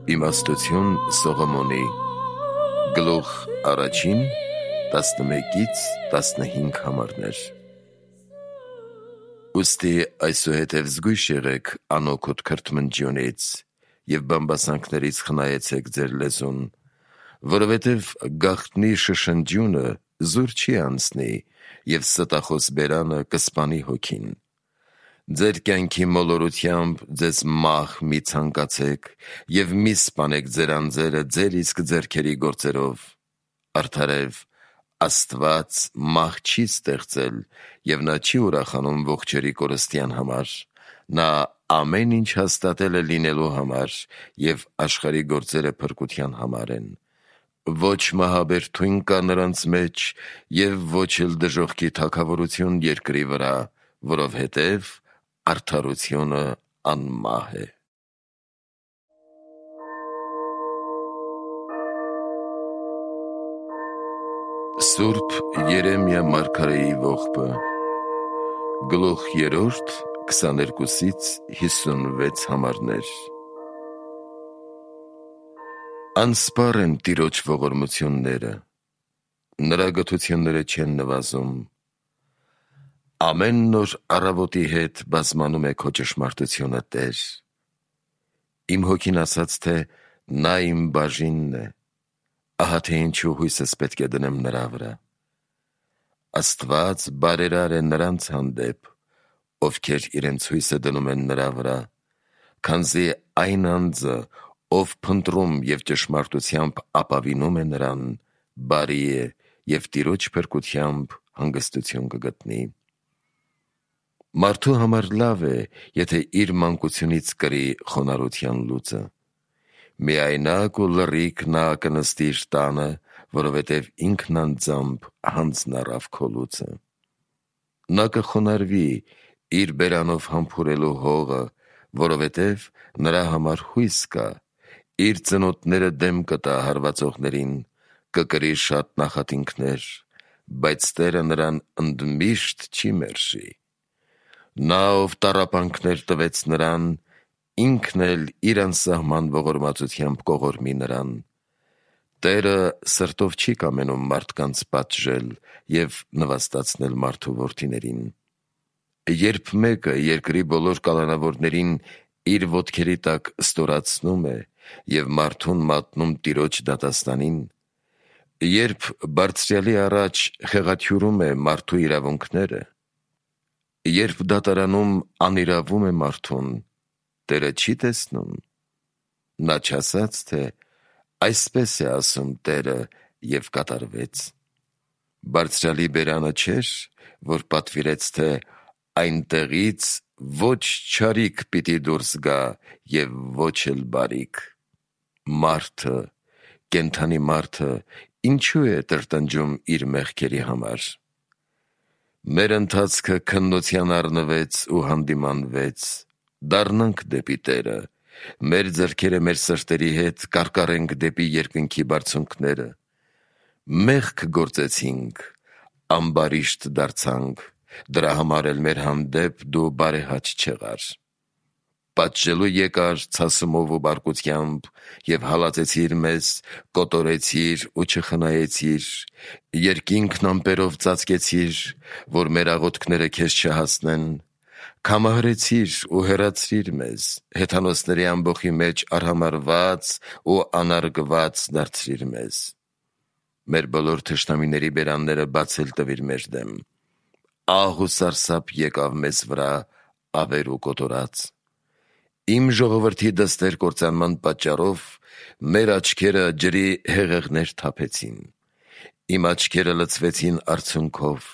Իմաստություն Սողոմոնի Գլուխ առաջին 11-15 համարներ։ Ուստի այսուհետև զգույշ եղեք անօգուտ քրթմնջյունից և բամբասանքներից խնայեցեք ձեր լեզուն, որովհետև գաղտնի շշնջյունը զուր չի անցնի և ստախոս բերանը կսպանի հոգին։ Ձեր կյանքի մոլորությամբ ձեզ մահ մի ցանկացեք և մի սպանեք ձեր անձերը ձեր իսկ ձեռքերի գործերով։ Արդարև Աստված մահ չի ստեղծել և նա չի ուրախանում ողջերի կորստյան համար, նա ամեն ինչ հաստատել է լինելու համար և աշխարհի գործերը փրկության համար են։ Ոչ մահաբեր թույն կա նրանց մեջ և ոչ էլ դժոխքի թագավորություն երկրի վրա, որովհետև արդարությունը անմահ է։ Սուրբ Երեմիա մարգարեի ողբը Գլուխ 3 22-56 համարներ։ Անսպառ են Տիրոջ ողորմությունները, նրա գթությունները չեն նվազում։ Ամեն նոր առավոտի հետ բազմանում է քո ճշմարտությունը, Տեր։ Իմ հոգին ասաց, թե նա իմ բաժինն է, ահա թե ինչու հույսս պետք է դնեմ նրա վրա։ Աստված բարերար է նրանց հանդեպ, ովքեր իրենց հույսը դնում են նրա վրա, քանզի այն անձը, ով փնտրում և ճշմարտությամբ ապավինում է նրան, բարի է և Տիրոջ փրկությամբ հանգստություն կգտնի։ Մարդու համար լավ է, եթե իր մանկությունից կրի խոնարհության լուծը։ Միայնակ ու լռիկ նա կնստի իր տանը, որովհետև ինքն անձամբ հանձն առավ քո լուծը։ Նա կխոնարհվի իր բերանով համբուրելու հողը, որովհետև նրա համար հույս կա, իր ծնոտները դեմ կտա հարվածողներին, կկրի շատ նախատինքներ, բայց Տերը նրան ընդմիշտ չի մերժի։ Նա, ով տառապանքներ տվեց նրան, ինքն էլ իր անսահման ողորմածությամբ կողորմի նրան։ Տերը սրտով չի կամենում մարդկանց պատժել և նվաստացնել մարդու որդիներին։ Երբ մեկը երկրի բոլոր կալանավորներին իր ոտքերի տակ ստորացնում է և մարդուն մատնում Տիրոջ դատաստանին, երբ Բարձրյալի առաջ խեղաթյուրում է մարդու իրավունքները, երբ դատարանում անիրավում է մարդուն, Տերը չի տեսնում։ Նա չասաց, թե այսպես է ասում Տերը և կատարվեց։ Բարձրյալի բերանը չէր, որ պատվիրեց, թե այնտեղից ոչ չարիք պիտի դուրս գա և ոչ էլ բարիք։ Մարդը, կենդանի մարդը, ինչու է տրտնջում իր մեղքերի համար։ Մեր ընթացքը քննության առնվեց ու հանդիմանվեց, դառնանք դեպի Տերը, մեր ձեռքերը մեր սրտերի հետ կարկառենք դեպի երկնքի բարձունքները։ Մեղք գործեցինք, ամբարիշտ դարձանք, դրա համար էլ մեր հանդեպ դու բարեհաճ չեղար։ Պատժելու եկար ցասումով ու բարկությամբ և հալածեցիր մեզ, կոտորեցիր ու չխնայեցիր, երկինքն ամպերով ծածկեցիր, որ մեր աղոթքները քեզ չհասնեն, քամահարեցիր ու հեռացրիր մեզ, հեթանոսների ամբոխի մեջ արհամարհված ու անարգված դարձրիր մեզ։ Մեր բոլոր թշնամիների բերանները բացել տվիր մեր դեմ, ահ ու սարսափ եկավ մեզ վրա ավեր ու կոտորած։ Իմ ժողովրդի դստեր կործանման պատճառով մեր աչքերը ջրի հեղեղներ թափեցին, իմ աչքերը լցվեցին արցունքով,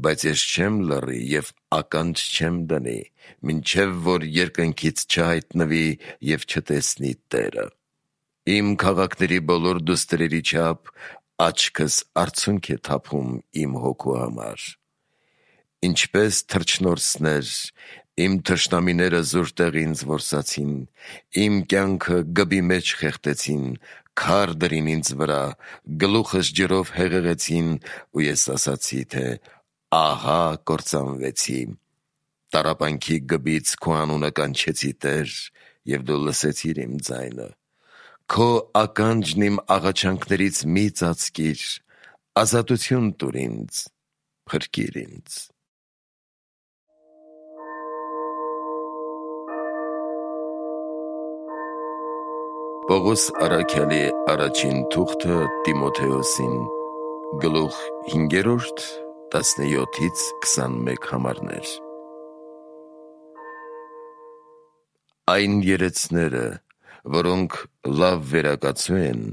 բայց ես չեմ լռի և ականջ չեմ դնի, մինչև որ երկնքից չհայտնվի և չտեսնի Տերը։ Իմ քաղաքների բոլոր դուստրերի չափ աչքս արցունք է թափում իմ հոգու համար։ Ինչպես թռչնորսներ, իմ թշնամիները զուր տեղ ինձ որսացին, իմ կյանքը գբի մեջ խեղդեցին, քար դրին ինձ վրա, գլուխս ջրով հեղեղեցին, ու ես ասացի, թե ահա կործանվեցի։ Տառապանքի գբից քո անունը կանչեցի, Տեր, և դու լսեցիր իմ ձայնը։ Քո ականջն իմ աղաչանքներից մի ծածկիր, ազատություն տուր ինձ, փրկիր ինձ։ Պողոս առաքյալի առաջին թուղթը Տիմոթեոսին, գլուխ 5, 17-21 համարներ։ Այն երեցները, որոնք լավ վերակացու են,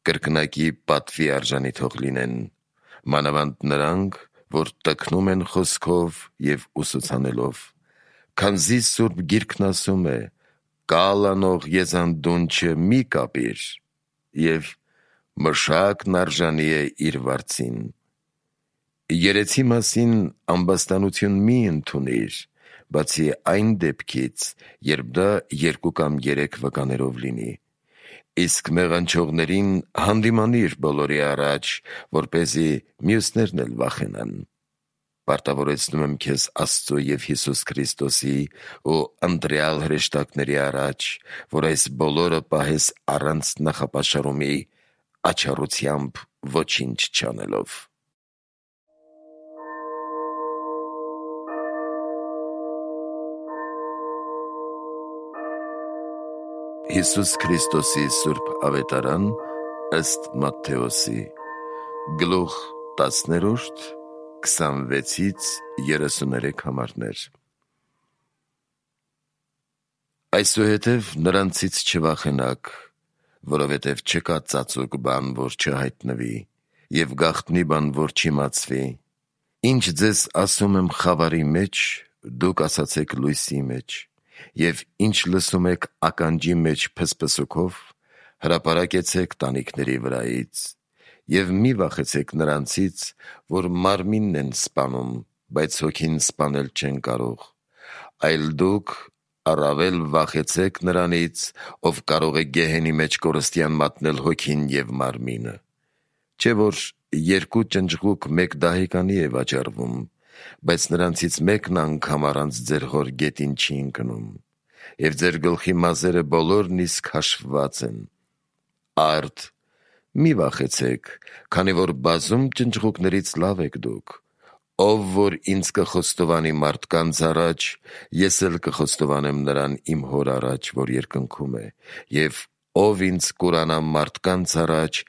կրկնակի պատվի արժանի թող լինեն, մանավանդ նրանք, որ տքնում են խոսքով և ուսուցանելով, քանզի Սուրբ Գիրքն ասում է. «Կալանող եզանդունչը մի կապիր» և «Մշակն արժանի է իր վարձին»։ Երեցի մասին ամբաստանություն մի ընդունիր, բացի այն դեպքից, երբ դա 2 կամ 3 վկաներով լինի, իսկ մեղանչողներին հանդիմանիր բոլորի առաջ, որպեսզի մյուսներն էլ վախենան։ Պարտավորեցնում եմ քեզ Աստծո և Հիսուս Քրիստոսի ու ընտրյալ հրեշտակների առաջ, որ այս բոլորը պահես առանց նախապաշարումի, աչառությամբ ոչինչ չանելով։ Հիսուս Քրիստոսի Սուրբ Ավետարան ըստ Մատթեոսի, գլուխ 10, 26-33 համարներ։ Այսուհետև նրանցից չվախենաք, որովհետև չկա ծածուկ բան, որ չհայտնվի, և գաղտնի բան, որ չիմացվի։ Ինչ ձեզ ասում եմ խավարի մեջ, դուք ասացեք լույսի մեջ, և ինչ լսում եք ականջի մեջ փսփսուքով, հրապարակեցեք տանիքների վրայից, և մի վախեցեք նրանցից, որ մարմինն են սպանում, բայց հոգին սպանել չեն կարող, այլ դուք առավել վախեցեք նրանից, ով կարող է գեհենի մեջ կորստյան մատնել հոգին և մարմինը։ Չէ՞ որ 2 ճնճղուկ մեկ դահեկանի է վաճառվում, բայց նրանցից մեկն անգամ առանց ձեր հոր գետին չի ընկնում, և ձեր գլխի մազերը բոլորն իսկ հաշվված են։ Արդ, մի վախեցեք, քանի որ բազում ճնճղուկներից լավ եք դուք։ Ով որ ինձ կխոստովանի մարդկանց առաջ, ես էլ կխոստովանեմ նրան իմ հոր առաջ, որ երկնքում է, և ով ինձ կուրանա մարդկանց առաջ,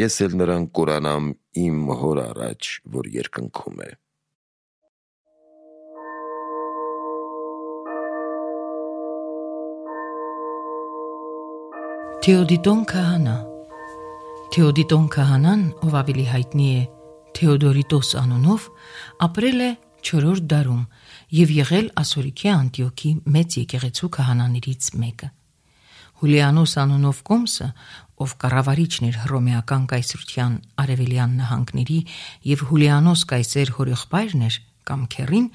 ես էլ նրան կուրանամ իմ հոր առաջ, որ երկնքում է։ Թեոդիտոն քահանա։ Թեոդիտոն քահանան, ով ավելի հայտնի է Թեոդորիտոս անունով, ապրել է 4-րդ դարում և եղել Ասորիքի Անտիոքի մեծ եկեղեցու քահանաներից մեկը։ Հուլիանոս անունով կոմսը, ով կառավարիչն էր հռոմեական կայսրության արևելյան նահանգների և Հուլիանոս կայսեր հորեղբայրն էր կամ քեռին,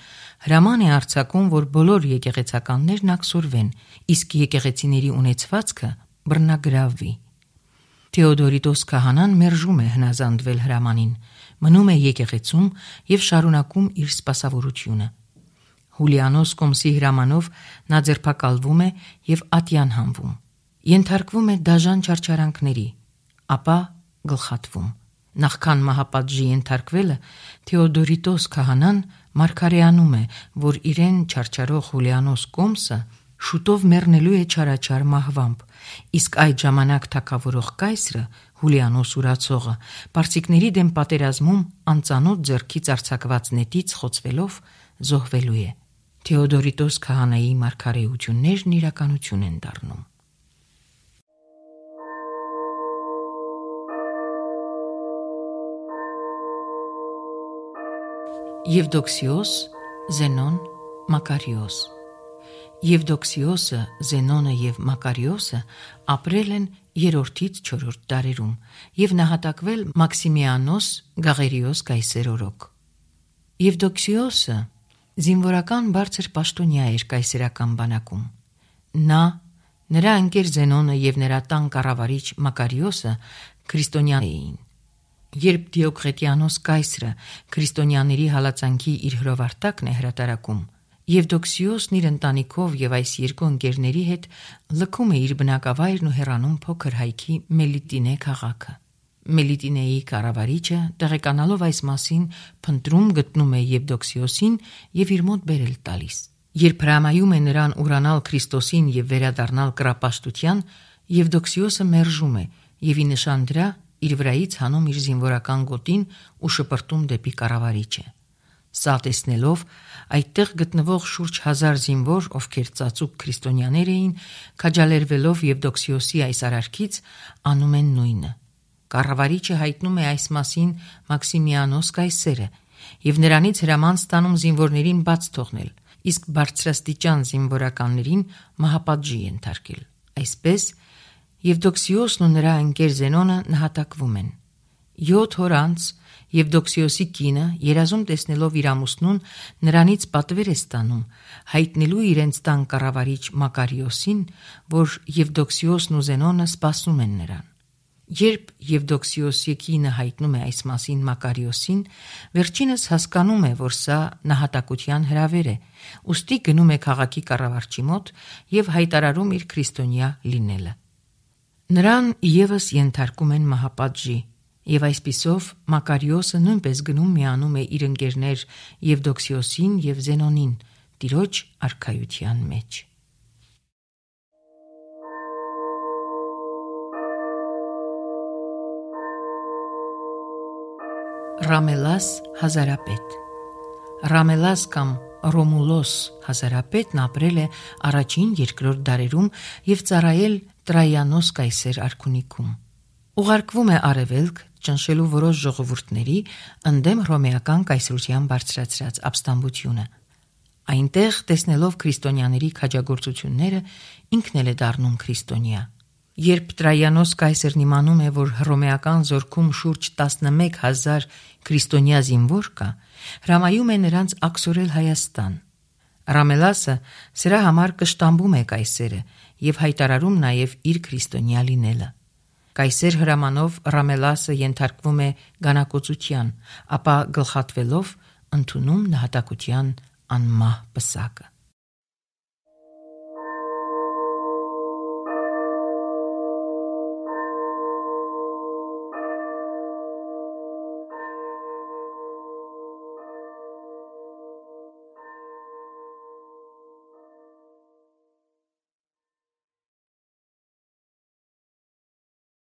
հրաման է արձակում, որ բոլոր եկեղեցականներն աքսորվեն, իսկ եկեղեցիների ունեցվածքը բռնագրավվի։ Թեոդորիտոս քահանան մերժում է հնազանդվել հրամանին, մնում է եկեղեցում և շարունակում իր սպասավորությունը։ Հուլիանոս կոմսի հրամանով նա ձերբակալվում է և ատյան հանվում, ենթարկվում է դաժան չարչարանքների, ապա գլխատվում։ Նախքան մահապատժի ենթարկվելը, Թեոդորիտոս քահանան մարգարեանում է, որ իրեն չարչարող Հուլիանոս կոմսը շուտով մեռնելու է չարաչար մահվամբ, իսկ այդ ժամանակ թագավորող կայսրը, Հուլիանոս ուրացողը, պարսիկների դեմ պատերազմում անծանոթ ձեռքից արձակված նետից խոցվելով զոհվելու է։ Թեոդորիտոս քահանայի մարգարեություններն իրականություն են դառնում։ Եվդոքսիոս, Զենոն, Մակարիոս։ Եվդոքսիոսը, Զենոնը և Մակարիոսը ապրել են 3-ից 4-րդ դարերում և նահատակվել Մաքսիմիանոս Գաղերիոս կայսեր օրոք։ Եվդոքսիոսը զինվորական բարձր պաշտոնյա էր կայսերական բանակում։ Նա, նրա ընկեր Զենոնը և նրա տան կառավարիչ Մակարիոսը քրիստոնյա էին։ Երբ Դիոկլետիանոս կայսրը քրիստոնյաների հալածանքի իր հրովարտակն է հրատարակում, Եվդոքսիոսն իր ընտանիքով եւ այս երկու ընկերների հետ լքում է իր բնակավայրն ու հեռանում փոքր հայքի Մելիտինե քաղաքը։ Մելիտինեի կառավարիչը, տեղեկանալով այս մասին, փնտրում գտնում է Եվդոքսիոսին եւ իր մոտ բերել տալիս։ Երբ հրամայում է նրան ուրանալ Քրիստոսին եւ վերադառնալ կռապաշտության, Եվդոքսիոսը մերժում է եւ ի նշան դրա իր վրայից հանում իր զինվորական գոտին ու շպրտում դեպի կառավարիչը։ Սա տեսնելով, այդտեղ գտնվող շուրջ 1000 զինվոր, ովքեր ծածուկ քրիստոնյաներ էին, քաջալերվելով Եվդոքսիոսի այս արարքից, անում են նույնը։ Կառավարիչը հայտնում է այս մասին Մաքսիմիանոս կայսերը եւ նրանից հրաման ստանում զինվորներին բաց թողնել, իսկ բարձրաստիճան զինվորականներին մահապատժի ենթարկել։ Այսպես Եվդոքսիոսն ու նրա ընկեր Զենոնը նահատակվում են։ 7 օր անց Եվդոքսիոսի կինը, երազում տեսնելով իր ամուսնուն, նրանից պատվեր է ստանում, հայտնելու իրենց տան կառավարիչ Մակարիոսին, որ Եվդոքսիոսն ու Զենոնը սպասում են նրան։ Երբ Եվդոքսիոսի կինը հայտնում է այս մասին Մակարիոսին, վերջինս հասկանում է, որ սա նահատակության հրավեր է, ուստի գնում է քաղաքի կառավարչի մոտ եւ հայտարարում իր քրիստոնյա լինելը։ Նրան եւս ենթարկում են մահապատժի, եւ այսպիսով Մակարիոսը նույնպես գնում միանում է իր ընկերներ Եվդոքսիոսին եւ Զենոնին Տիրոջ արքայության մեջ։ Ռամելաս հազարապետ։ Ռամելաս կամ Ռոմուլոս հազարապետն ապրել է առաջին-երկրորդ դարերում եւ ծառայել Տրայանոս կայսեր արքունիքում։ Ուղարկվում է արևելք ճնշելու որոշ ժողովուրդների ընդդեմ հռոմեական կայսրության բարձրացրած ապստամբությունը։ Այնտեղ տեսնելով քրիստոնյաների քաջագործությունները ինքն էլ է դառնում քրիստոնյա։ Երբ Տրայանոս կայսերն իմանում է, որ հռոմեական զորքում շուրջ 11000 քրիստոնյա զինվոր կա, հրամայում է նրանց աքսորել Հայաստան։ Ռամելասը սրա համար կշտամբում է կայսերը եւ հայտարարում նաեւ իր քրիստոնյա լինելը։ Կայսեր հրամանով Ռամելասը ենթարկվում է գանակոծության, ապա գլխատվելով ընդունում նահատակության անմահ պսակը։